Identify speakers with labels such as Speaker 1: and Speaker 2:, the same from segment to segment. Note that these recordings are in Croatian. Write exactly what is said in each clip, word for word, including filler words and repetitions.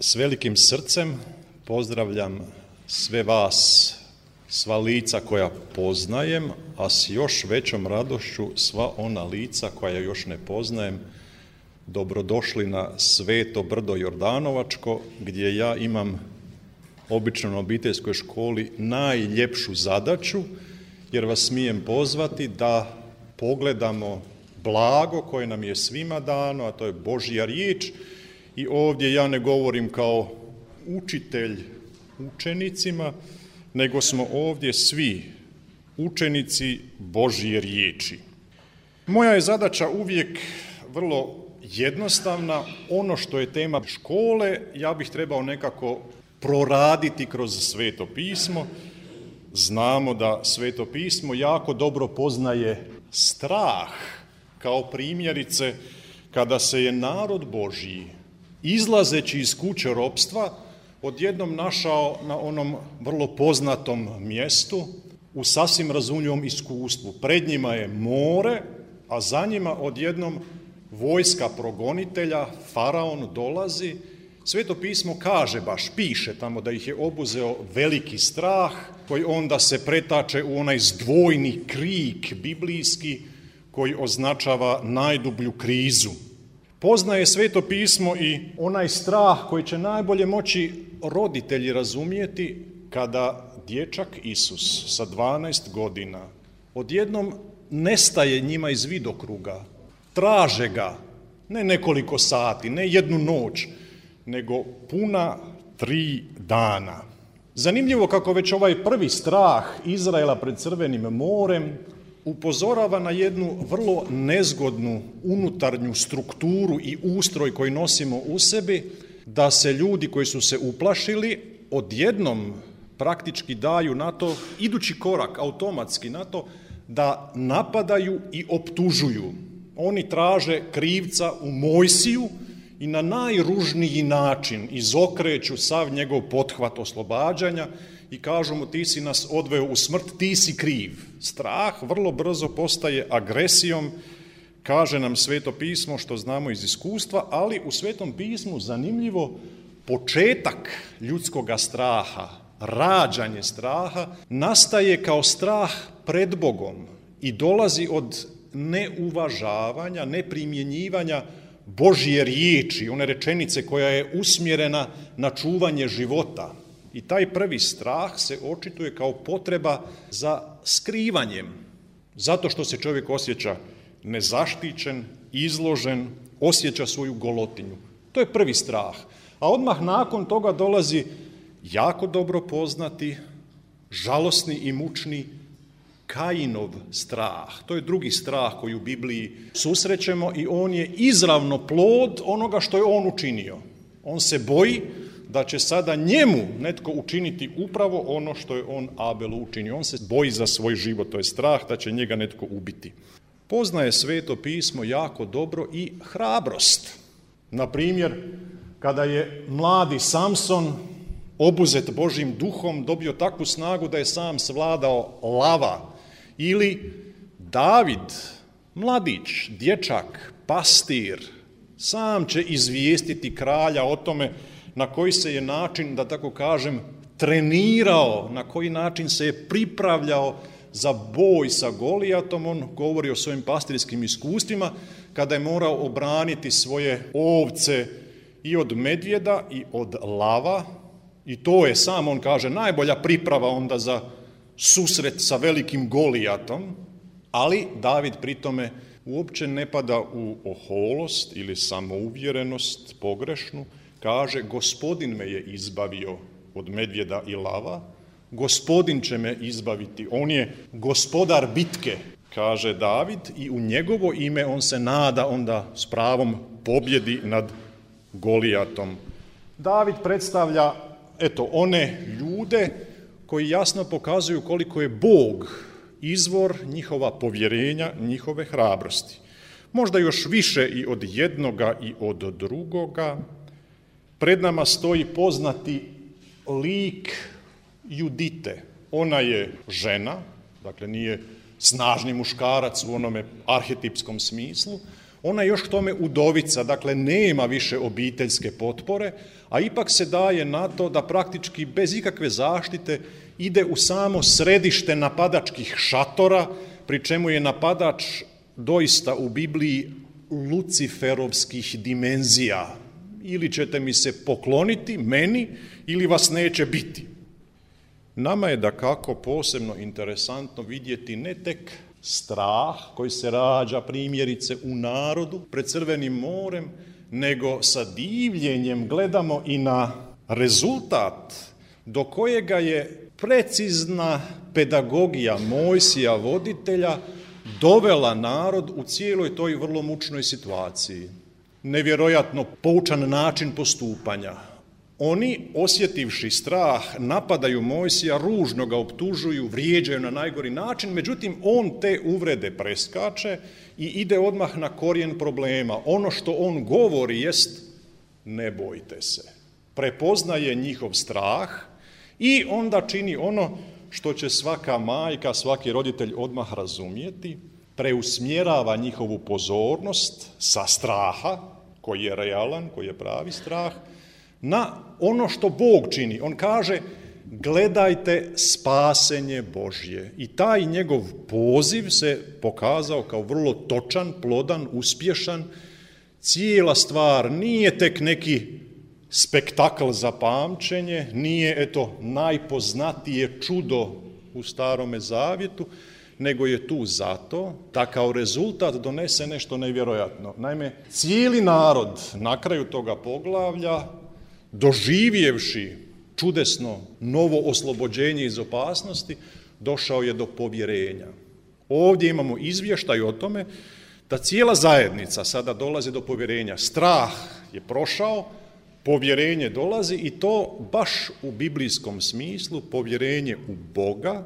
Speaker 1: S velikim srcem pozdravljam sve vas, sva lica koja poznajem, a s još većom radošću sva ona lica koja još ne poznajem. Dobrodošli na Sveto brdo Jordanovačko, gdje ja imam obično na obiteljskoj školi najljepšu zadaću, jer vas smijem pozvati da pogledamo blago koje nam je svima dano, a to je Božja riječ. I ovdje ja ne govorim kao učitelj učenicima, nego smo ovdje svi učenici Božje riječi. Moja je zadaća uvijek vrlo jednostavna. Ono što je tema škole, ja bih trebao nekako proraditi kroz Sveto pismo. Znamo da Sveto pismo jako dobro poznaje strah, kao primjerice kada se je narod Božji, izlazeći iz kuće ropstva, odjednom našao na onom vrlo poznatom mjestu u sasvim razumljivom iskustvu. Pred njima je more, a za njima odjednom vojska progonitelja, faraon dolazi. Sveto pismo kaže, baš piše tamo da ih je obuzeo veliki strah, koji onda se pretače u onaj zdvojni krik biblijski koji označava najdublju krizu. Poznaje Sveto pismo i onaj strah koji će najbolje moći roditelji razumjeti kada dječak Isus sa dvanaest godina odjednom nestaje njima iz vidokruga. Traže ga ne nekoliko sati, ne jednu noć, nego puna tri dana. Zanimljivo kako već ovaj prvi strah Izraela pred Crvenim morem upozorava na jednu vrlo nezgodnu unutarnju strukturu i ustroj koji nosimo u sebi, da se ljudi koji su se uplašili odjednom praktički daju na to, idući korak automatski na to, da napadaju i optužuju. Oni traže krivca u Mojsiju i na najružniji način izokreću sav njegov pothvat oslobađanja i kažu mu, ti si nas odveo u smrt, ti si kriv. Strah vrlo brzo postaje agresijom, kaže nam Sveto pismo što znamo iz iskustva, ali u Svetom pismu zanimljivo početak ljudskoga straha, rađanje straha, nastaje kao strah pred Bogom i dolazi od neuvažavanja, neprimjenjivanja Božje riječi, one rečenice koja je usmjerena na čuvanje života. I taj prvi strah se očituje kao potreba za skrivanjem, zato što se čovjek osjeća nezaštićen, izložen, osjeća svoju golotinju. To je prvi strah. A odmah nakon toga dolazi jako dobro poznati, žalosni i mučni Kainov strah. To je drugi strah koji u Bibliji susrećemo i on je izravno plod onoga što je on učinio. On se boji da će sada njemu netko učiniti upravo ono što je on Abelu učinio. On se boji za svoj život, to je strah da će njega netko ubiti. Poznaje Sveto pismo jako dobro i hrabrost. Na primjer, kada je mladi Samson obuzet Božjim duhom dobio takvu snagu da je sam svladao lava, ili David, mladić, dječak, pastir, sam će izvijestiti kralja o tome na koji se je način, da tako kažem, trenirao, na koji način se je pripravljao za boj sa Golijatom. On govori o svojim pastirskim iskustvima, kada je morao obraniti svoje ovce i od medvjeda i od lava. I to je, sam on kaže, najbolja priprava onda za susret sa velikim Golijatom, ali David pri tome uopće ne pada u oholost ili samouvjerenost pogrešnu. Kaže, Gospodin me je izbavio od medvjeda i lava, Gospodin će me izbaviti, on je gospodar bitke, kaže David, i u njegovo ime on se nada onda s pravom pobjedi nad Golijatom. David predstavlja, eto, one ljude koji jasno pokazuju koliko je Bog izvor njihova povjerenja, njihove hrabrosti. Možda još više i od jednoga i od drugoga. Pred nama stoji poznati lik Judite. Ona je žena, dakle nije snažni muškarac u onome arhetipskom smislu. Ona je još k tome udovica, dakle nema više obiteljske potpore, a ipak se daje na to da praktički bez ikakve zaštite ide u samo središte napadačkih šatora, pri čemu je napadač doista u Bibliji luciferovskih dimenzija. Ili ćete mi se pokloniti, meni, ili vas neće biti. Nama je dakako posebno interesantno vidjeti ne tek strah koji se rađa primjerice u narodu pred Crvenim morem, nego sa divljenjem gledamo i na rezultat do kojega je precizna pedagogija Mojsija voditelja dovela narod u cijeloj toj vrlo mučnoj situaciji. Nevjerojatno poučan način postupanja. Oni, osjetivši strah, napadaju Mojsija, ružno ga optužuju, vrijeđaju na najgori način, međutim on te uvrede preskače i ide odmah na korijen problema. Ono što on govori jest ne bojte se. Prepoznaje njihov strah i onda čini ono što će svaka majka, svaki roditelj odmah razumjeti, preusmjerava njihovu pozornost sa straha, koji je realan, koji je pravi strah, na ono što Bog čini. On kaže, gledajte spasenje Božje. I taj njegov poziv se pokazao kao vrlo točan, plodan, uspješan. Cijela stvar nije tek neki spektakl za pamćenje, nije eto najpoznatije čudo u Starome zavjetu, nego je tu zato da kao rezultat donese nešto nevjerojatno. Naime, cijeli narod na kraju toga poglavlja, doživjevši čudesno novo oslobođenje iz opasnosti, došao je do povjerenja. Ovdje imamo izvještaj o tome da cijela zajednica sada dolazi do povjerenja. Strah je prošao, povjerenje dolazi i to baš u biblijskom smislu, povjerenje u Boga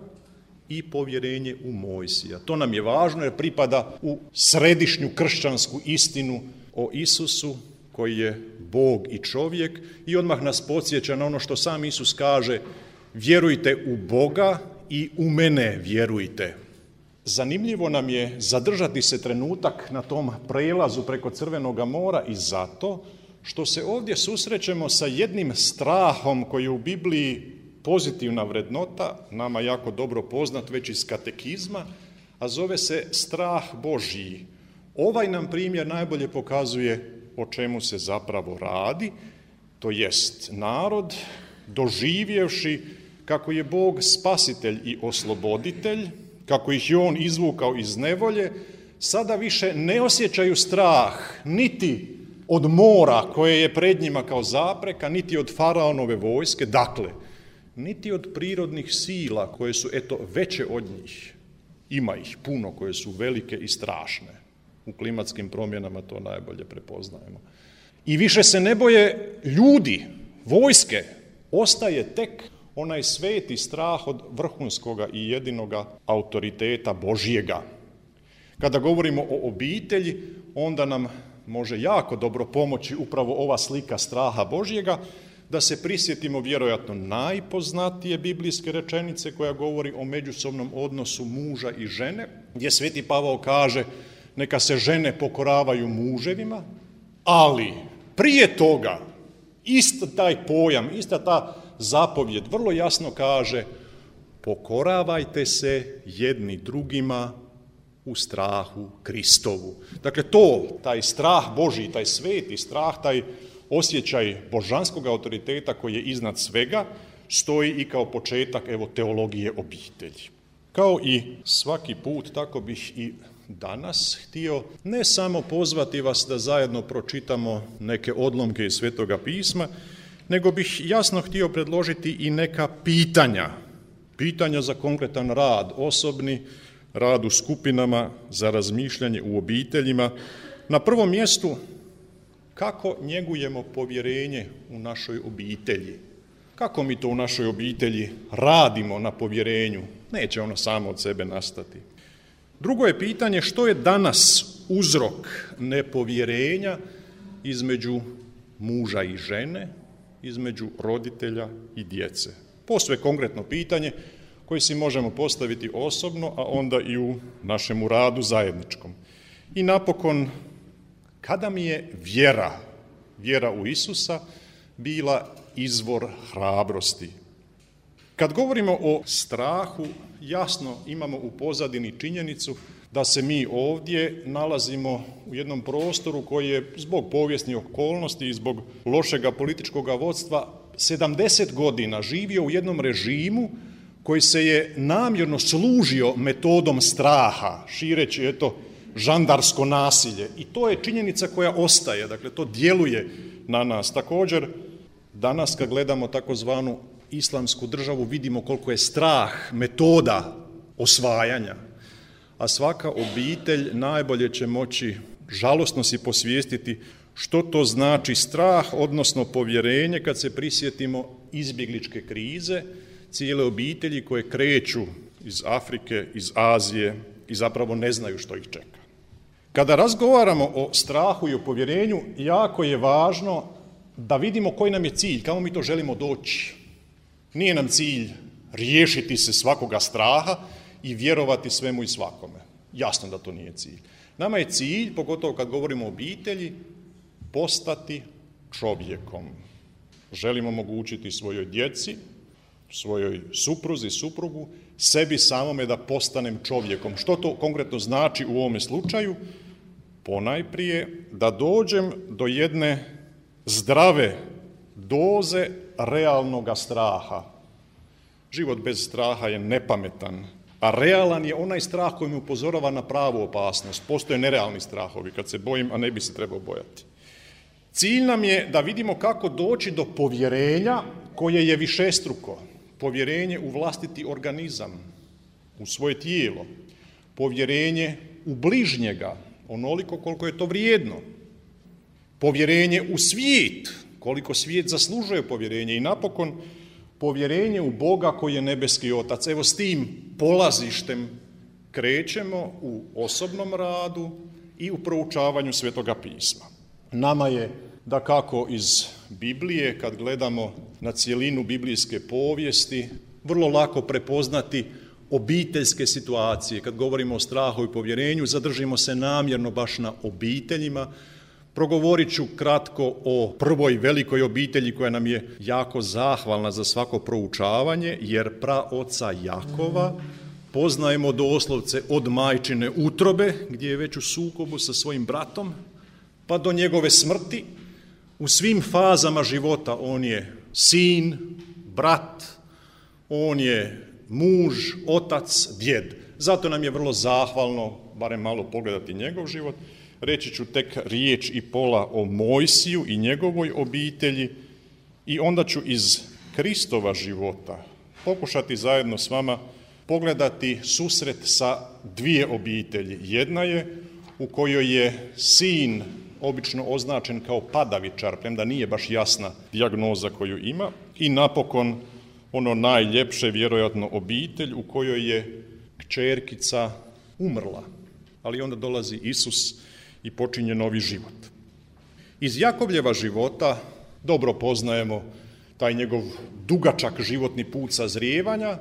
Speaker 1: i povjerenje u Mojsija. To nam je važno jer pripada u središnju kršćansku istinu o Isusu koji je Bog i čovjek i odmah nas podsjeća na ono što sam Isus kaže, vjerujte u Boga i u mene vjerujte. Zanimljivo nam je zadržati se trenutak na tom prelazu preko Crvenoga mora i zato što se ovdje susrećemo sa jednim strahom koji je u Bibliji pozitivna vrednota, nama jako dobro poznat već iz katekizma, a zove se strah Božji. Ovaj nam primjer najbolje pokazuje o čemu se zapravo radi, to jest narod doživjevši kako je Bog spasitelj i osloboditelj, kako ih je on izvukao iz nevolje, sada više ne osjećaju strah niti od mora koje je pred njima kao zapreka, niti od faraonove vojske, dakle, niti od prirodnih sila koje su eto veće od njih. Ima ih puno koje su velike i strašne. U klimatskim promjenama to najbolje prepoznajemo. I više se ne boje ljudi, vojske. Ostaje tek onaj sveti strah od vrhunskoga i jedinoga autoriteta Božjega. Kada govorimo o obitelji, onda nam može jako dobro pomoći upravo ova slika straha Božjega, da se prisjetimo vjerojatno najpoznatije biblijske rečenice koja govori o međusobnom odnosu muža i žene, gdje sveti Pavao kaže neka se žene pokoravaju muževima, ali prije toga isto taj pojam, ista ta zapovjed vrlo jasno kaže pokoravajte se jedni drugima u strahu Kristovu. Dakle, to, taj strah Božji, taj sveti strah, taj osjećaj božanskog autoriteta koji je iznad svega, stoji i kao početak evo, teologije obitelji. Kao i svaki put, tako bih i danas htio ne samo pozvati vas da zajedno pročitamo neke odlomke iz Svetoga pisma, nego bih jasno htio predložiti i neka pitanja. Pitanja za konkretan rad, osobni, rad u skupinama, za razmišljanje u obiteljima. Na prvom mjestu, kako njegujemo povjerenje u našoj obitelji? Kako mi to u našoj obitelji radimo na povjerenju? Neće ono samo od sebe nastati. Drugo je pitanje što je danas uzrok nepovjerenja između muža i žene, između roditelja i djece. Posve konkretno pitanje koje si možemo postaviti osobno, a onda i u našemu radu zajedničkom. I napokon kada mi je vjera, vjera u Isusa, bila izvor hrabrosti. Kad govorimo o strahu, jasno imamo u pozadini činjenicu da se mi ovdje nalazimo u jednom prostoru koji je zbog povijesnih okolnosti i zbog lošega političkog vodstva sedamdeset godina živio u jednom režimu koji se je namjerno služio metodom straha, šireći eto žandarsko nasilje. I to je činjenica koja ostaje, dakle to djeluje na nas. Također, danas kad gledamo takozvanu islamsku državu, vidimo koliko je strah metoda osvajanja, a svaka obitelj najbolje će moći žalosno si posvijestiti što to znači strah, odnosno povjerenje kad se prisjetimo izbjegličke krize, cijele obitelji koje kreću iz Afrike, iz Azije i zapravo ne znaju što ih čeka. Kada razgovaramo o strahu i o povjerenju, jako je važno da vidimo koji nam je cilj, kamo mi to želimo doći. Nije nam cilj riješiti se svakoga straha i vjerovati svemu i svakome. Jasno da to nije cilj. Nama je cilj, pogotovo kad govorimo o obitelji, postati čovjekom. Želimo omogućiti svojoj djeci, svojoj supruzi, suprugu, sebi samome da postanem čovjekom. Što to konkretno znači u ovome slučaju? Ponajprije da dođem do jedne zdrave doze realnoga straha. Život bez straha je nepametan, a realan je onaj strah koji mi upozorava na pravu opasnost. Postoje nerealni strahovi, kad se bojim, a ne bi se trebao bojati. Cilj nam je da vidimo kako doći do povjerenja koje je višestruko. Povjerenje u vlastiti organizam, u svoje tijelo. Povjerenje u bližnjega, onoliko koliko je to vrijedno. Povjerenje u svijet, koliko svijet zaslužuje povjerenje. I napokon, povjerenje u Boga koji je nebeski Otac. Evo s tim polazištem krećemo u osobnom radu i u proučavanju Svetoga pisma. Nama je, dakako iz Biblije, kad gledamo na cjelinu biblijske povijesti, vrlo lako prepoznati obiteljske situacije. Kad govorimo o strahu i povjerenju, zadržimo se namjerno baš na obiteljima. Progovorit ću kratko o prvoj velikoj obitelji koja nam je jako zahvalna za svako proučavanje, jer praoca Jakova poznajemo doslovce od majčine utrobe, gdje je već u sukobu sa svojim bratom, pa do njegove smrti. U svim fazama života on je sin, brat, on je muž, otac, djed. Zato nam je vrlo zahvalno, barem malo pogledati njegov život. Reći ću tek riječ i pola o Mojsiju i njegovoj obitelji i onda ću iz Kristova života pokušati zajedno s vama pogledati susret sa dvije obitelji. Jedna je u kojoj je sin obično označen kao padavičar, premda nije baš jasna dijagnoza koju ima, i napokon ono najljepše, vjerojatno, obitelj u kojoj je kćerkica umrla, ali onda dolazi Isus i počinje novi život. Iz Jakovljeva života dobro poznajemo taj njegov dugačak životni put sazrijevanja.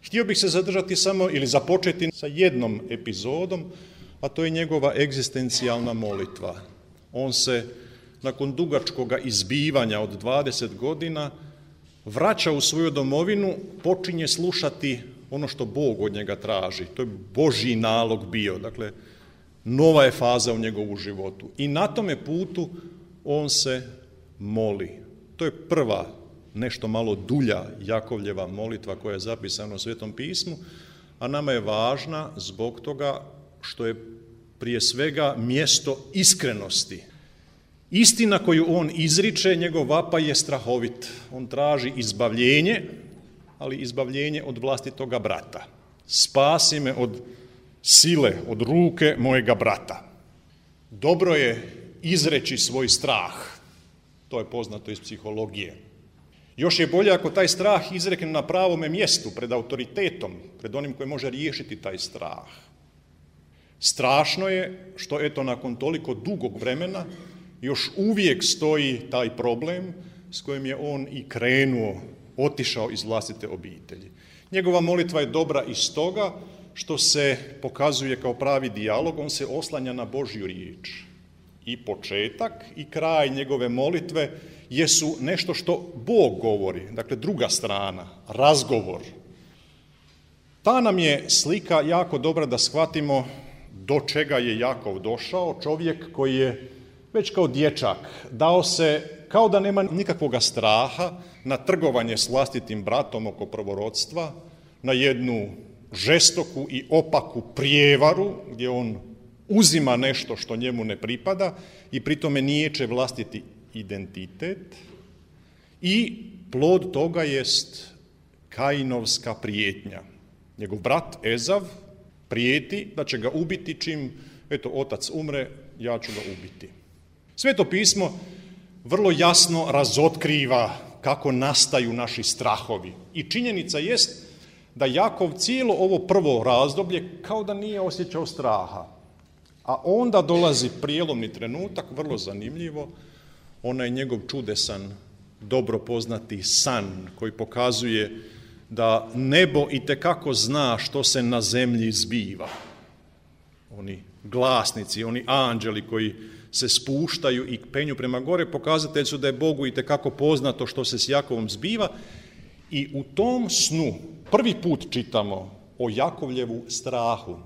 Speaker 1: Htio bih se zadržati samo ili započeti sa jednom epizodom, a to je njegova egzistencijalna molitva. On se nakon dugačkoga izbivanja od dvadeset godina vraća u svoju domovinu, počinje slušati ono što Bog od njega traži. To je Božji nalog bio, dakle, nova je faza u njegovu životu. I na tome putu on se moli. To je prva, nešto malo dulja Jakovljeva molitva koja je zapisana u Svetom pismu, a nama je važna zbog toga što je prije svega mjesto iskrenosti. Istina koju on izriče, njegov vapaj je strahovit. On traži izbavljenje, ali izbavljenje od vlastitoga brata. Spasi me od sile, od ruke mojega brata. Dobro je izreći svoj strah. To je poznato iz psihologije. Još je bolje ako taj strah izrekne na pravome mjestu, pred autoritetom, pred onim koji može riješiti taj strah. Strašno je što, eto, nakon toliko dugog vremena još uvijek stoji taj problem s kojim je on i krenuo, otišao iz vlastite obitelji. Njegova molitva je dobra iz toga što se pokazuje kao pravi dijalog, on se oslanja na Božju riječ. i početak i kraj njegove molitve jesu nešto što Bog govori, dakle druga strana, razgovor. Ta nam je slika jako dobra da shvatimo do čega je Jakov došao, čovjek koji je već kao dječak dao se, kao da nema nikakvoga straha, na trgovanje s vlastitim bratom oko prvorodstva, na jednu žestoku i opaku prijevaru gdje on uzima nešto što njemu ne pripada i pritome niječe vlastiti identitet, i plod toga jest Kainovska prijetnja. Njegov brat Ezav prijeti da će ga ubiti čim, eto, otac umre, ja ću ga ubiti. Sveto pismo vrlo jasno razotkriva kako nastaju naši strahovi. I činjenica jest da Jakov cijelo ovo prvo razdoblje kao da nije osjećao straha. A onda dolazi prijelomni trenutak, vrlo zanimljivo, onaj njegov čudesan, dobro poznati san koji pokazuje da nebo itekako zna što se na zemlji zbiva. Oni glasnici, oni anđeli koji se spuštaju i penju prema gore, pokazatelji su da je Bogu itekako poznato što se s Jakovom zbiva, i u tom snu prvi put čitamo o Jakovljevu strahu.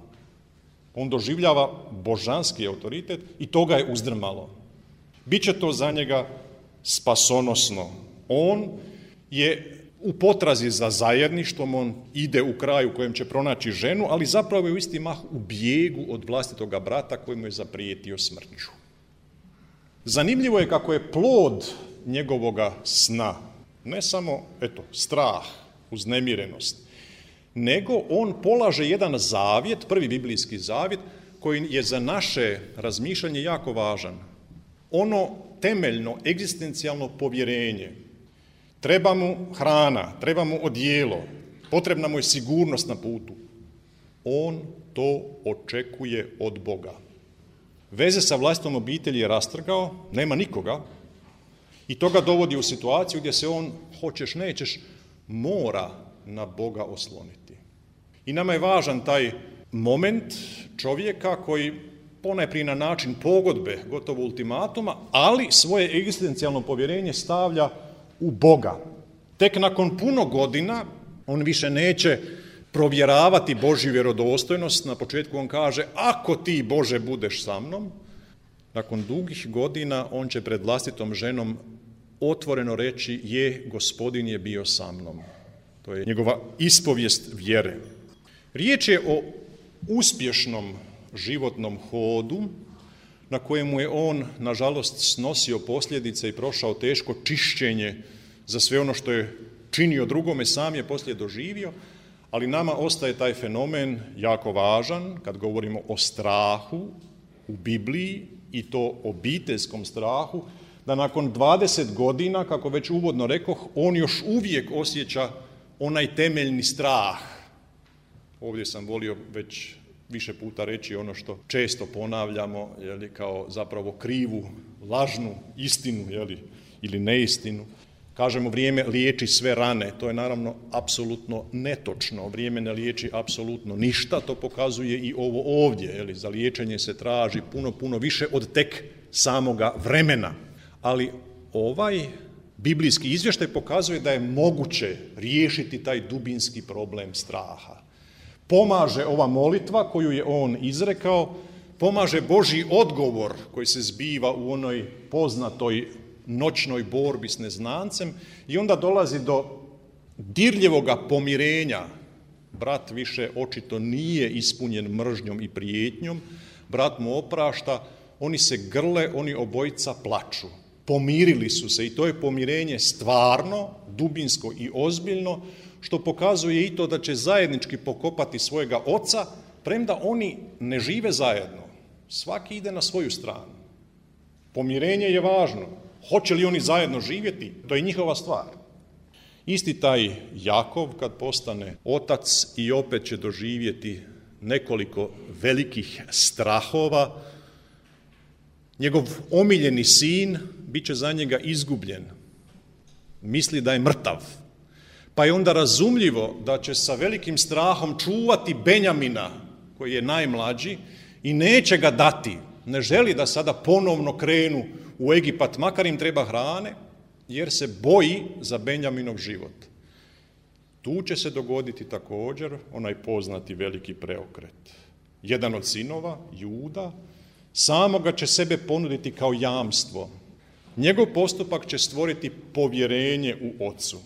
Speaker 1: On doživljava božanski autoritet i to ga je uzdrmalo. Biće to za njega spasonosno. On je u potrazi za zajedništvom, on ide u kraj u kojem će pronaći ženu, ali zapravo je u isti mah u bijegu od vlastitoga brata koji mu je zaprijetio smrću. Zanimljivo je kako je plod njegovoga sna ne samo, eto, strah, uznemirenost, nego on polaže jedan zavjet, prvi biblijski zavjet, koji je za naše razmišljanje jako važan. Ono temeljno, egzistencijalno povjerenje. Treba mu hrana, treba mu odijelo, potrebna mu je sigurnost na putu. On to očekuje od Boga. Veze sa vlastitom obitelji je rastrgao, nema nikoga, i to ga dovodi u situaciju gdje se on, hoćeš nećeš, mora na Boga osloniti. I nama je važan taj moment čovjeka koji ponajprije na način pogodbe, gotovo ultimatuma, ali svoje egzistencijalno povjerenje stavlja u Boga. Tek nakon puno godina on više neće provjeravati Božju vjerodostojnost. Na početku on kaže, ako ti, Bože, budeš sa mnom. Nakon dugih godina on će pred vlastitom ženom otvoreno reći, je, Gospodin je bio sa mnom. To je njegova ispovijest vjere. Riječ je o uspješnom životnom hodu na kojemu je on, nažalost, snosio posljedice i prošao teško čišćenje za sve ono što je činio drugome, sam je poslije doživio, ali nama ostaje taj fenomen jako važan kad govorimo o strahu u Bibliji, i to obiteljskom strahu, da nakon dvadeset godina, kako već uvodno rekoh, on još uvijek osjeća onaj temeljni strah. Ovdje sam volio već više puta reći ono što često ponavljamo, jeli, kao zapravo krivu, lažnu istinu, jeli, ili neistinu. Kažemo, vrijeme liječi sve rane. To je naravno apsolutno netočno. Vrijeme ne liječi apsolutno ništa. To pokazuje i ovo ovdje. Jeli, za liječenje se traži puno, puno više od tek samoga vremena. Ali ovaj biblijski izvještaj pokazuje da je moguće riješiti taj dubinski problem straha. Pomaže ova molitva koju je on izrekao, pomaže Božji odgovor koji se zbiva u onoj poznatoj noćnoj borbi s neznancem, i onda dolazi do dirljivoga pomirenja. Brat više očito nije ispunjen mržnjom i prijetnjom, brat mu oprašta, oni se grle, oni obojica plaču. Pomirili su se, i to je pomirenje stvarno, dubinsko i ozbiljno, što pokazuje i to da će zajednički pokopati svojega oca, premda oni ne žive zajedno. Svaki ide na svoju stranu. Pomirenje je važno. Hoće li oni zajedno živjeti, to je njihova stvar. Isti taj Jakov, kad postane otac, i opet će doživjeti nekoliko velikih strahova. Njegov omiljeni sin bit će za njega izgubljen. Misli da je mrtav. Pa je onda razumljivo da će sa velikim strahom čuvati Benjamina, koji je najmlađi, i neće ga dati ne želi da sada ponovno krenu u Egipat, makar im treba hrane, jer se boji za Benjaminov život. Tu će se dogoditi također onaj poznati veliki preokret. Jedan od sinova, Juda, samoga će sebe ponuditi kao jamstvo. Njegov postupak će stvoriti povjerenje u ocu.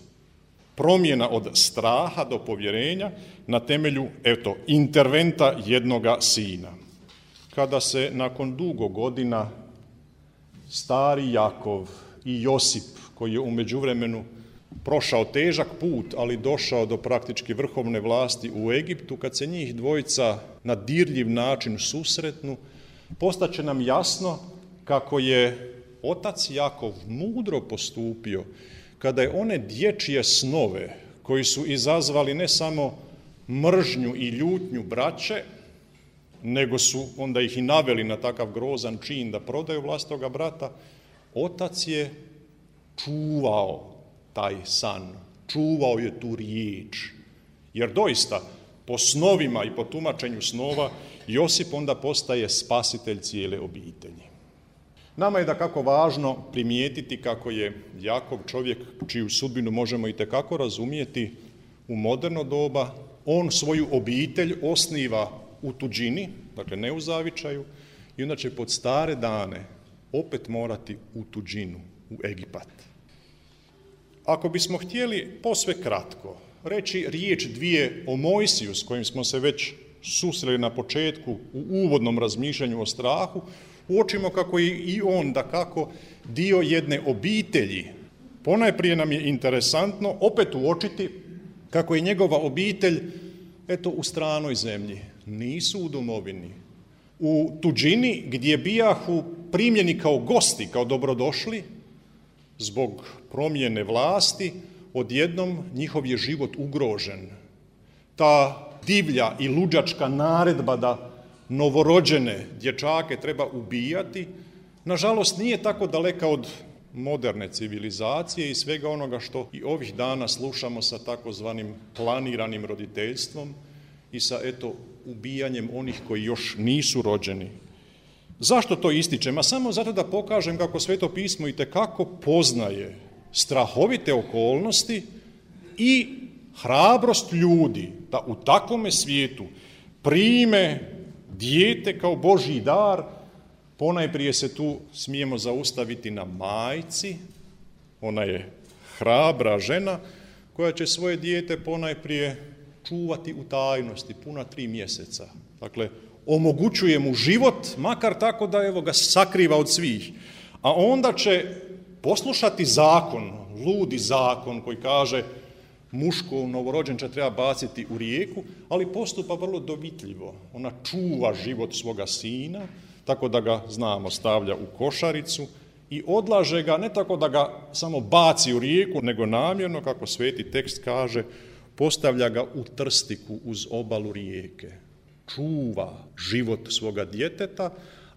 Speaker 1: Promjena od straha do povjerenja na temelju, eto, interventa jednoga sina. Kada se nakon dugo godina stari Jakov i Josip, koji je u međuvremenu prošao težak put, ali došao do praktički vrhovne vlasti u Egiptu, kad se njih dvojica na dirljiv način susretnu, postaće nam jasno kako je otac Jakov mudro postupio kada je one dječje snove koji su izazvali ne samo mržnju i ljutnju braće, nego su onda ih i naveli na takav grozan čin da prodaju vlastitoga brata, otac je čuvao taj san, čuvao je tu riječ. Jer doista, po snovima i po tumačenju snova, Josip onda postaje spasitelj cijele obitelji. Nama je dakako važno primijetiti kako je Jakov čovjek čiju sudbinu možemo itekako razumjeti u moderno doba. On svoju obitelj osniva u tuđini, dakle ne u zavičaju, i onda će pod stare dane opet morati u tuđinu, u Egipat. Ako bismo htjeli posve kratko reći riječ dvije o Mojsiju, s kojim smo se već susreli na početku u uvodnom razmišljanju o strahu, uočimo kako je i on dakako dio jedne obitelji. Ponajprije nam je interesantno opet uočiti kako je njegova obitelj eto u stranoj zemlji, nisu u domovini. U tuđini gdje bijahu primljeni kao gosti, kao dobrodošli, zbog promjene vlasti, odjednom njihov je život ugrožen. Ta divlja i luđačka naredba da novorođene dječake treba ubijati, nažalost nije tako daleka od moderne civilizacije i svega onoga što i ovih dana slušamo sa takozvanim planiranim roditeljstvom i sa eto ubijanjem onih koji još nisu rođeni. Zašto to ističem? A samo zato da pokažem kako Sveto pismo itekako poznaje strahovite okolnosti i hrabrost ljudi da u takvome svijetu prime dijete kao Božji dar. Ponajprije se tu smijemo zaustaviti na majci, ona je hrabra žena koja će svoje dijete ponajprije čuvati u tajnosti puna tri mjeseca. Dakle, omogućuje mu život, makar tako da evo ga sakriva od svih. A onda će poslušati zakon, ludi zakon koji kaže muško novorođenče treba baciti u rijeku, ali postupa vrlo dovitljivo. Ona čuva život svoga sina, tako da ga, znamo, stavlja u košaricu i odlaže ga, ne tako da ga samo baci u rijeku, nego namjerno, kako sveti tekst kaže, postavlja ga u trstiku uz obalu rijeke. Čuva život svoga djeteta,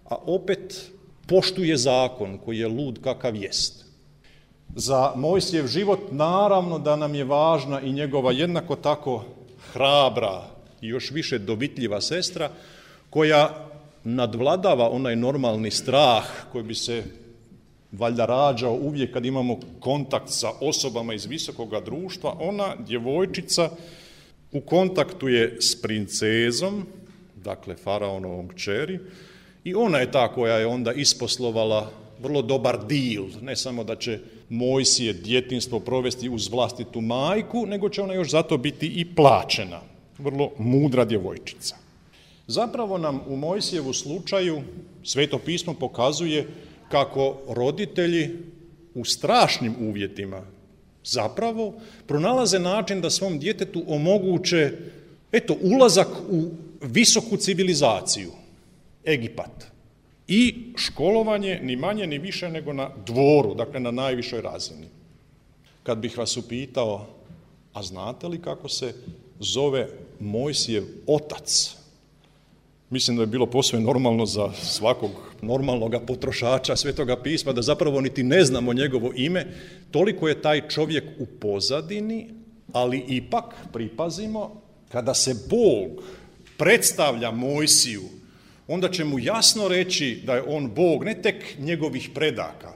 Speaker 1: a opet poštuje zakon koji je lud kakav jest. Za Mojsijev život naravno da nam je važna i njegova jednako tako hrabra i još više dovitljiva sestra koja nadvladava onaj normalni strah koji bi se valjda rađao uvijek kad imamo kontakt sa osobama iz visokoga društva. Ona, djevojčica, u kontaktu je s princezom, dakle faraonovom kćeri, i ona je ta koja je onda isposlovala vrlo dobar dil, ne samo da će Mojsije djetinjstvo provesti uz vlastitu majku, nego će ona još zato biti i plaćena. Vrlo mudra djevojčica. Zapravo nam u Mojsijevu slučaju Sveto pismo pokazuje kako roditelji u strašnim uvjetima zapravo pronalaze način da svom djetetu omoguće eto, ulazak u visoku civilizaciju, Egipat, i školovanje ni manje ni više nego na dvoru, dakle na najvišoj razini. Kad bih vas upitao, a znate li kako se zove Mojsijev otac? Mislim da je bilo posve normalno za svakog normalnog potrošača Svetoga pisma da zapravo niti ne znamo njegovo ime, toliko je taj čovjek u pozadini, ali ipak pripazimo, kada se Bog predstavlja Mojsiju, onda će mu jasno reći da je on Bog ne tek njegovih predaka,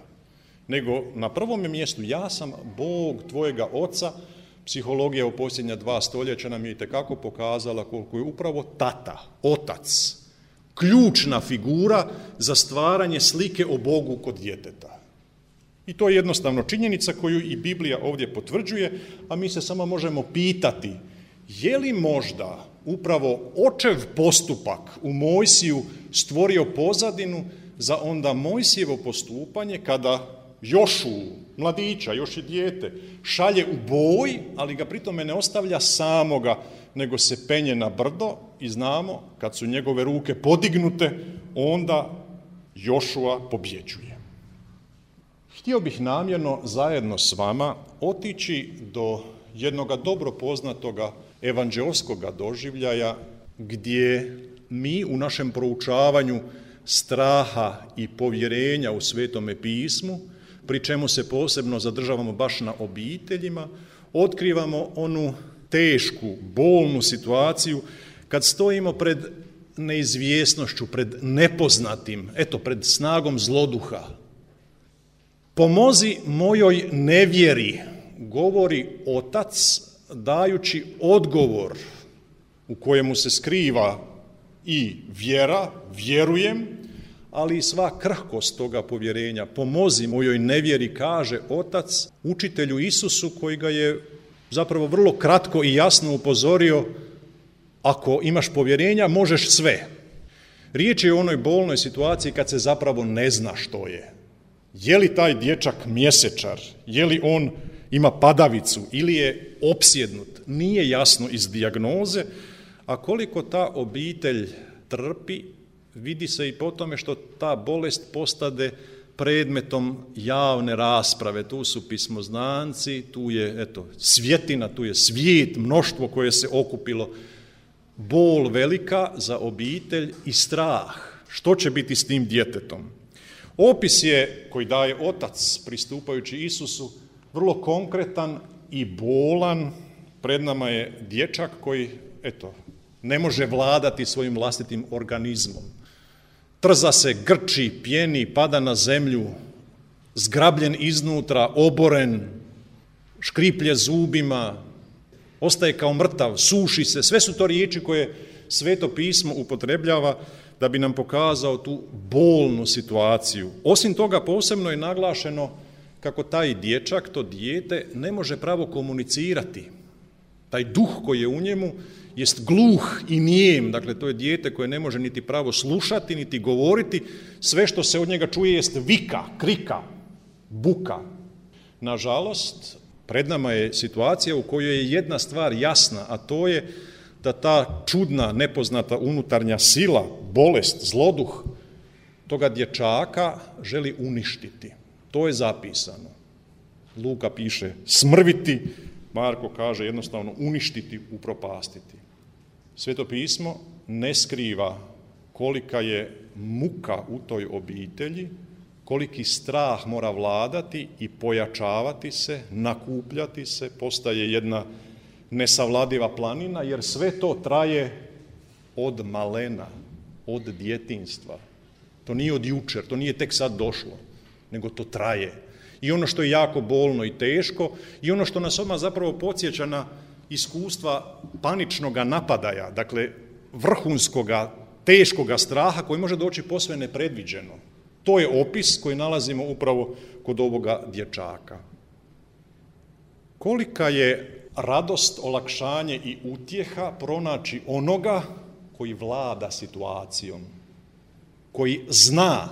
Speaker 1: nego na prvom mjestu ja sam Bog tvojega oca. Psihologija u posljednja dva stoljeća nam je itekako pokazala koliko je upravo tata, otac, ključna figura za stvaranje slike o Bogu kod djeteta. I to je jednostavno činjenica koju i Biblija ovdje potvrđuje, a mi se samo možemo pitati je li možda upravo očev postupak u Mojsiju stvorio pozadinu za onda Mojsijevo postupanje kada Jošu, mladića, još je dijete, šalje u boj, ali ga pritome ne ostavlja samoga, nego se penje na brdo i znamo, kad su njegove ruke podignute, onda Jošua pobjeđuje. Htio bih namjerno zajedno s vama otići do jednoga dobro poznatoga evanđeoskoga doživljaja gdje mi u našem proučavanju straha i povjerenja u Svetome pismu, pri čemu se posebno zadržavamo baš na obiteljima, otkrivamo onu tešku, bolnu situaciju kad stojimo pred neizvjesnošću, pred nepoznatim, eto, pred snagom zloduha. Pomozi mojoj nevjeri, govori otac dajući odgovor u kojemu se skriva i vjera, vjerujem, ali i sva krhkost toga povjerenja. Pomozi mojoj nevjeri, kaže otac učitelju Isusu koji ga je zapravo vrlo kratko i jasno upozorio, ako imaš povjerenja možeš sve. Riječ je o onoj bolnoj situaciji kad se zapravo ne zna što je. Je li taj dječak mjesečar, je li on ima padavicu ili je opsjednut, nije jasno iz dijagnoze, a koliko ta obitelj trpi, vidi se i po tome što ta bolest postade predmetom javne rasprave. Tu su pismoznanci, tu je eto, svjetina, tu je svijet, mnoštvo koje se okupilo. Bol velika za obitelj i strah. Što će biti s tim djetetom? Opis je koji daje otac pristupajući Isusu vrlo konkretan i bolan. Pred nama je dječak koji eto, ne može vladati svojim vlastitim organizmom. Trza se, grči, pjeni, pada na zemlju, zgrabljen iznutra, oboren, škriplje zubima, ostaje kao mrtav, suši se. Sve su to riječi koje Sveto pismo upotrebljava da bi nam pokazao tu bolnu situaciju. Osim toga, posebno je naglašeno kako taj dječak, to dijete, ne može pravo komunicirati. Taj duh koji je u njemu jest gluh i nijem, dakle to je dijete koje ne može niti pravo slušati, niti govoriti, sve što se od njega čuje jest vika, krika, buka. Nažalost, pred nama je situacija u kojoj je jedna stvar jasna, a to je da ta čudna, nepoznata unutarnja sila, bolest, zloduh, toga dječaka želi uništiti. To je zapisano. Luka piše smrviti, Marko kaže jednostavno uništiti, upropastiti. Sveto pismo ne skriva kolika je muka u toj obitelji, koliki strah mora vladati i pojačavati se, nakupljati se, postaje jedna nesavladiva planina, jer sve to traje od malena, od djetinjstva. To nije od jučer, to nije tek sad došlo, nego to traje. I ono što je jako bolno i teško, i ono što nas odmah zapravo podsjeća na iskustva paničnoga napadaja, dakle vrhunskoga, teškoga straha koji može doći posve nepredviđeno. To je opis koji nalazimo upravo kod ovoga dječaka. Kolika je radost, olakšanje i utjeha pronaći onoga koji vlada situacijom, koji zna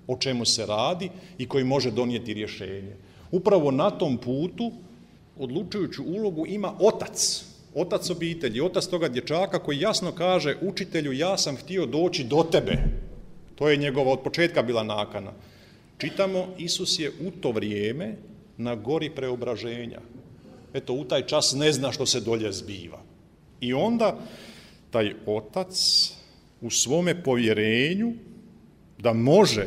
Speaker 1: o čemu se radi i koji može donijeti rješenje. Upravo na tom putu odlučujuću ulogu ima otac, otac obitelji, otac toga dječaka koji jasno kaže učitelju ja sam htio doći do tebe. To je njegova od početka bila nakana. Čitamo, Isus je u to vrijeme na gori preobraženja. Eto, u taj čas ne zna što se dolje zbiva. I onda taj otac u svome povjerenju da može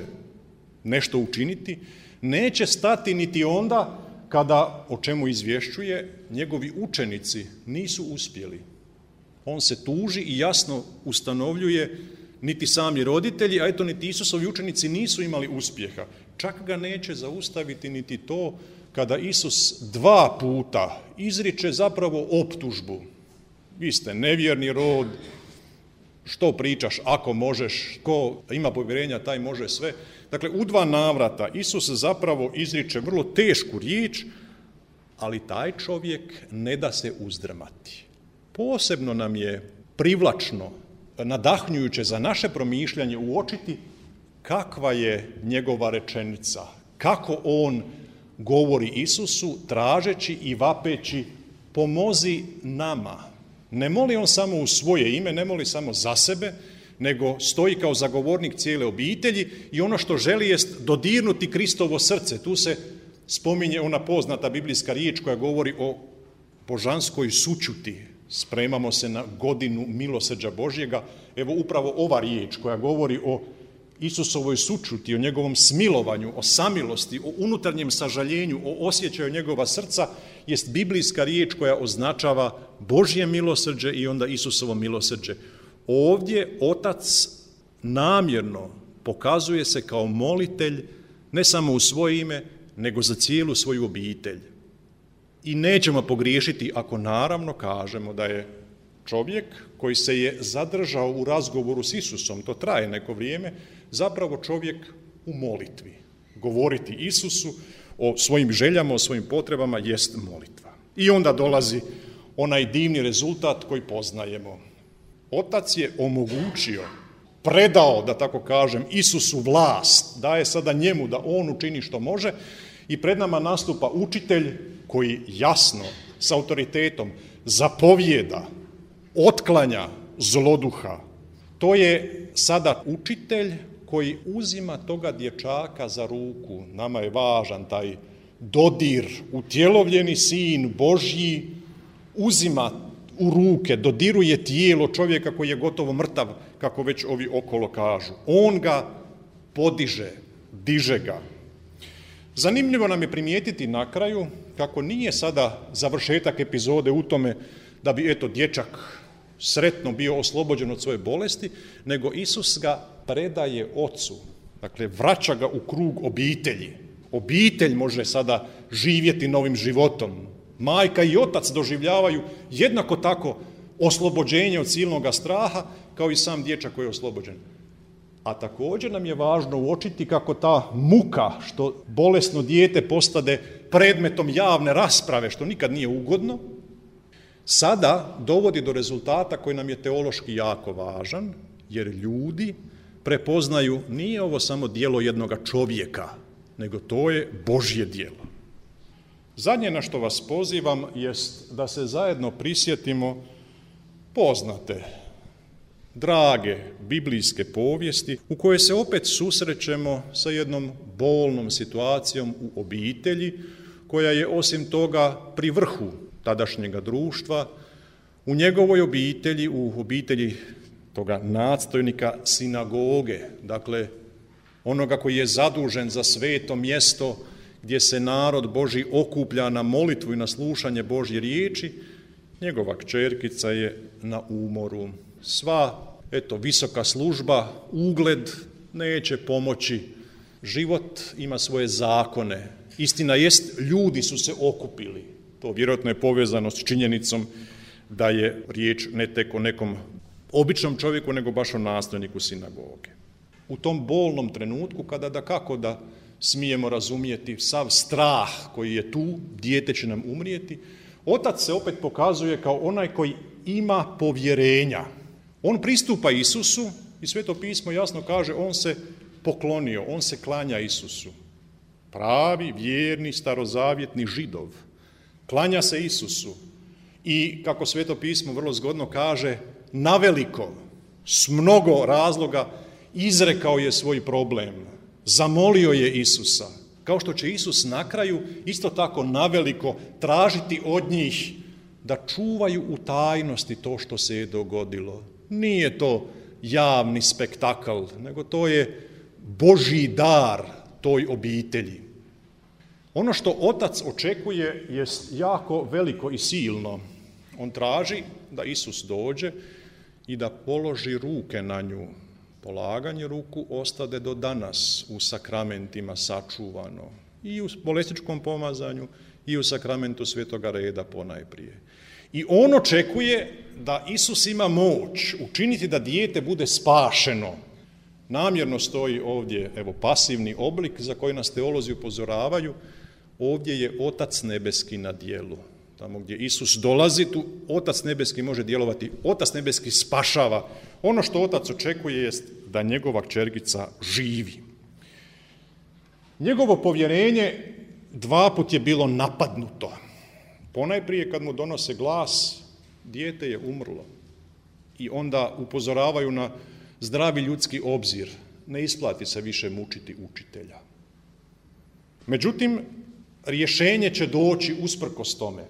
Speaker 1: nešto učiniti, neće stati niti onda kada, o čemu izvješćuje, njegovi učenici nisu uspjeli. On se tuži i jasno ustanovljuje niti sami roditelji, a eto niti Isusovi učenici nisu imali uspjeha. Čak ga neće zaustaviti niti to kada Isus dva puta izriče zapravo optužbu. Vi ste nevjerni rod, što pričaš ako možeš, ko ima povjerenja taj može sve. Dakle, u dva navrata Isus zapravo izriče vrlo tešku riječ, ali taj čovjek ne da se uzdrmati. Posebno nam je privlačno, nadahnjujuće za naše promišljanje uočiti kakva je njegova rečenica, kako on govori Isusu tražeći i vapeći pomozi nama. Ne moli on samo u svoje ime, ne moli samo za sebe, nego stoji kao zagovornik cijele obitelji i ono što želi jest dodirnuti Kristovo srce. Tu se spominje ona poznata biblijska riječ koja govori o božanskoj sućuti. Spremamo se na godinu milosrđa Božjega. Evo upravo ova riječ koja govori o Isusovoj sućuti, o njegovom smilovanju, o samilosti, o unutarnjem sažaljenju, o osjećaju njegova srca, jest biblijska riječ koja označava Božje milosrđe i onda Isusovo milosrđe. Ovdje Otac namjerno pokazuje se kao molitelj ne samo u svoje ime, nego za cijelu svoju obitelj. I nećemo pogriješiti ako naravno kažemo da je čovjek koji se je zadržao u razgovoru s Isusom, to traje neko vrijeme, zapravo čovjek u molitvi. Govoriti Isusu o svojim željama, o svojim potrebama jest molitva. I onda dolazi onaj divni rezultat koji poznajemo. Otac je omogućio, predao, da tako kažem, Isusu vlast, daje sada njemu da on učini što može i pred nama nastupa učitelj koji jasno, s autoritetom, zapovijeda, otklanja zloduha. To je sada učitelj koji uzima toga dječaka za ruku. Nama je važan taj dodir, utjelovljeni sin Božji, uzima u ruke, dodiruje tijelo čovjeka koji je gotovo mrtav, kako već ovi okolo kažu. On ga podiže, diže ga. Zanimljivo nam je primijetiti na kraju kako nije sada završetak epizode u tome da bi eto dječak sretno bio oslobođen od svoje bolesti, nego Isus ga predaje ocu. Dakle, vraća ga u krug obitelji. Obitelj može sada živjeti novim životom. Majka i otac doživljavaju jednako tako oslobođenje od silnoga straha kao i sam dječak koji je oslobođen. A također nam je važno uočiti kako ta muka što bolesno dijete postade predmetom javne rasprave, što nikad nije ugodno, sada dovodi do rezultata koji nam je teološki jako važan, jer ljudi prepoznaju nije ovo samo djelo jednoga čovjeka, nego to je Božje djelo. Zadnje na što vas pozivam jest da se zajedno prisjetimo poznate, drage biblijske povijesti u kojoj se opet susrećemo sa jednom bolnom situacijom u obitelji koja je osim toga pri vrhu tadašnjega društva, u njegovoj obitelji, u obitelji toga nadstojnika sinagoge, dakle onoga koji je zadužen za sveto mjesto gdje se narod Božji okuplja na molitvu i na slušanje Božje riječi, njegova kćerkica je na umoru. Sva, eto, visoka služba, ugled neće pomoći. Život ima svoje zakone. Istina jest, ljudi su se okupili. To vjerojatno je povezano s činjenicom da je riječ ne tek o nekom običnom čovjeku, nego baš o nastavniku sinagoge. U tom bolnom trenutku, kada da kako da smijemo razumjeti sav strah koji je tu, dijete će nam umrijeti, otac se opet pokazuje kao onaj koji ima povjerenja. On pristupa Isusu i Sveto pismo jasno kaže, on se poklonio, on se klanja Isusu. Pravi, vjerni, starozavjetni Židov. Klanja se Isusu i, kako Sveto pismo vrlo zgodno kaže, naveliko, s mnogo razloga, izrekao je svoj problem. Zamolio je Isusa. Kao što će Isus na kraju isto tako naveliko tražiti od njih da čuvaju u tajnosti to što se je dogodilo. Nije to javni spektakl, nego to je Božji dar toj obitelji. Ono što otac očekuje jest jako veliko i silno. On traži da Isus dođe i da položi ruke na nju, polaganje ruku ostade do danas u sakramentima sačuvano. I u bolesničkom pomazanju i u sakramentu svetoga reda ponajprije. I on očekuje da Isus ima moć učiniti da dijete bude spašeno. Namjerno stoji ovdje, evo, pasivni oblik za koji nas teolozi upozoravaju. Ovdje je Otac nebeski na djelu. Tamo gdje Isus dolazi, tu Otac nebeski može djelovati. Otac nebeski spašava. Ono što Otac očekuje jest da njegova kćerkica živi. Njegovo povjerenje dva put je bilo napadnuto. Ponajprije kad mu donose glas, dijete je umrlo. I onda upozoravaju na zdravi ljudski obzir. Ne isplati se više mučiti učitelja. Međutim, rješenje će doći usprkos tome.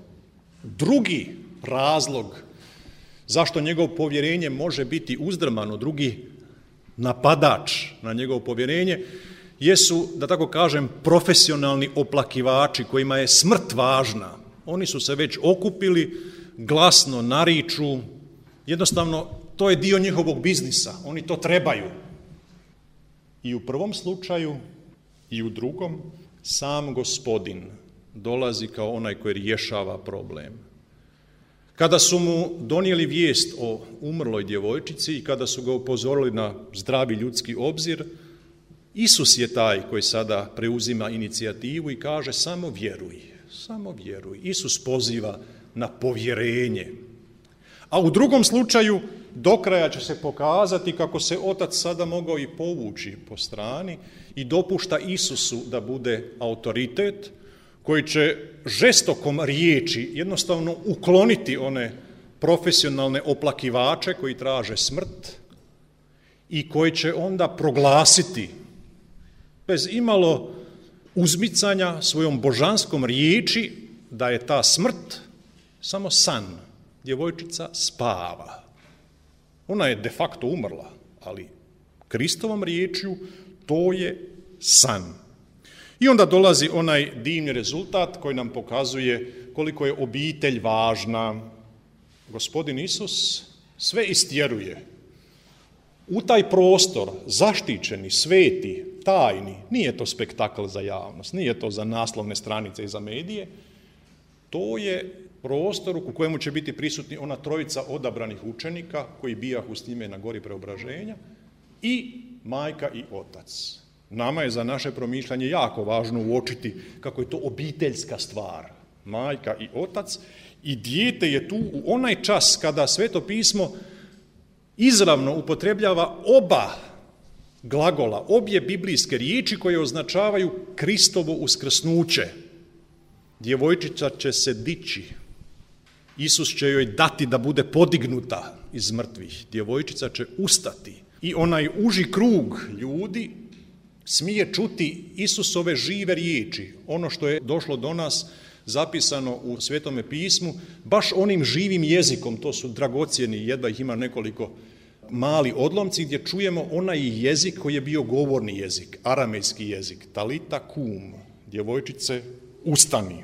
Speaker 1: Drugi razlog zašto njegovo povjerenje može biti uzdrmano, drugi napadač na njegovo povjerenje, jesu, da tako kažem, profesionalni oplakivači kojima je smrt važna. Oni su se već okupili, glasno nariču, jednostavno to je dio njihovog biznisa, oni to trebaju. I u prvom slučaju i u drugom sam Gospodin dolazi kao onaj koji rješava problem. Kada su mu donijeli vijest o umrloj djevojčici i kada su ga upozorili na zdravi ljudski obzir, Isus je taj koji sada preuzima inicijativu i kaže samo vjeruj, samo vjeruj. Isus poziva na povjerenje. A u drugom slučaju do kraja će se pokazati kako se Otac sada mogao i povući po strani i dopušta Isusu da bude autoritet koji će žestokom riječi jednostavno ukloniti one profesionalne oplakivače koji traže smrt i koji će onda proglasiti bez imalo uzmicanja svojom božanskom riječi da je ta smrt samo san. Djevojčica spava. Ona je de facto umrla, ali Kristovom riječju to je san. I onda dolazi onaj divni rezultat koji nam pokazuje koliko je obitelj važna. Gospodin Isus sve istjeruje. U taj prostor, zaštićeni, sveti, tajni, nije to spektakl za javnost, nije to za naslovne stranice i za medije, to je prostor u kojemu će biti prisutni ona trojica odabranih učenika koji bijahu s njime na gori preobraženja i majka i otac. Nama je za naše promišljanje jako važno uočiti kako je to obiteljska stvar. Majka i otac i dijete je tu u onaj čas kada Sveto pismo izravno upotrebljava oba glagola, obje biblijske riječi koje označavaju Kristovo uskrsnuće. Djevojčica će se dići. Isus će joj dati da bude podignuta iz mrtvih. Djevojčica će ustati. I onaj uži krug ljudi smije čuti Isusove žive riječi. Ono što je došlo do nas zapisano u Svetome pismu, baš onim živim jezikom, to su dragocjeni, jedva ih ima nekoliko mali odlomci gdje čujemo onaj jezik koji je bio govorni jezik, aramejski jezik, talita kum, djevojčice ustani.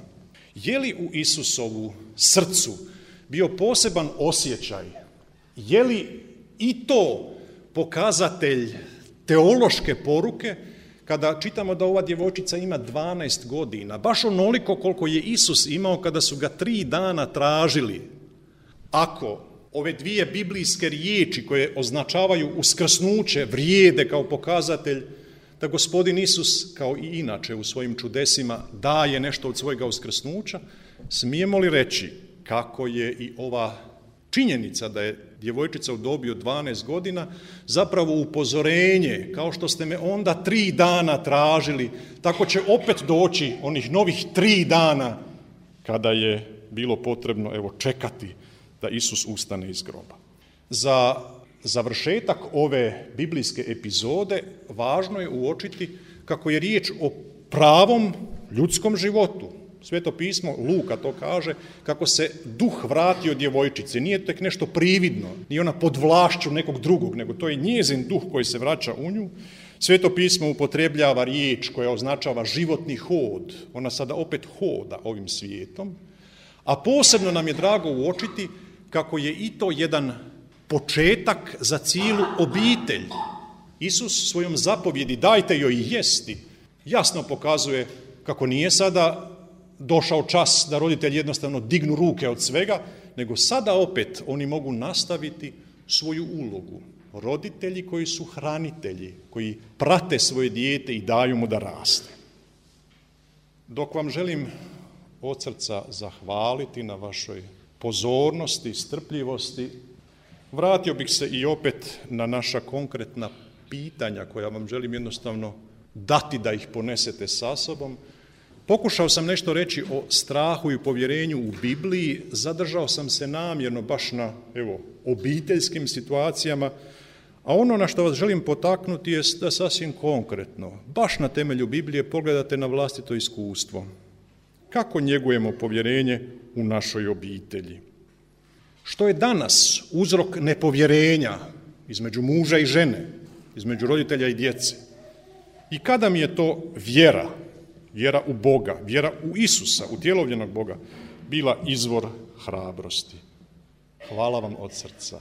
Speaker 1: Je li u Isusovu srcu bio poseban osjećaj? Je li i to pokazatelj teološke poruke kada čitamo da ova djevojčica ima dvanaest godina, baš onoliko koliko je Isus imao kada su ga tri dana tražili? Ako ove dvije biblijske riječi koje označavaju uskrsnuće vrijede kao pokazatelj da Gospodin Isus, kao i inače u svojim čudesima, daje nešto od svojega uskrsnuća, smijemo li reći kako je i ova činjenica da je djevojčica u dobi od dvanaest godina zapravo upozorenje, kao što ste me onda tri dana tražili, tako će opet doći onih novih tri dana kada je bilo potrebno evo čekati da Isus ustane iz groba. Za završetak ove biblijske epizode važno je uočiti kako je riječ o pravom ljudskom životu. Sveto pismo, Luka to kaže, kako se duh vratio djevojčici. Nije tek nešto prividno, nije ona pod vlašću nekog drugog, nego to je njezin duh koji se vraća u nju. Sveto pismo upotrebljava riječ koja označava životni hod. Ona sada opet hoda ovim svijetom. A posebno nam je drago uočiti kako je i to jedan početak za cijelu obitelj. Isus svojom zapovjedi dajte joj jesti jasno pokazuje kako nije sada došao čas da roditelji jednostavno dignu ruke od svega, nego sada opet oni mogu nastaviti svoju ulogu. Roditelji koji su hranitelji, koji prate svoje dijete i daju mu da raste. Dok vam želim od srca zahvaliti na vašoj pozornosti, strpljivosti, vratio bih se i opet na naša konkretna pitanja koja vam želim jednostavno dati da ih ponesete sa sobom. Pokušao sam nešto reći o strahu i povjerenju u Bibliji, zadržao sam se namjerno baš na evo, obiteljskim situacijama, a ono na što vas želim potaknuti je da sasvim konkretno, baš na temelju Biblije, pogledate na vlastito iskustvo. Kako njegujemo povjerenje u našoj obitelji? Što je danas uzrok nepovjerenja između muža i žene, između roditelja i djece? I kada mi je to vjera, vjera u Boga, vjera u Isusa, u utjelovljenog Boga, bila izvor hrabrosti? Hvala vam od srca.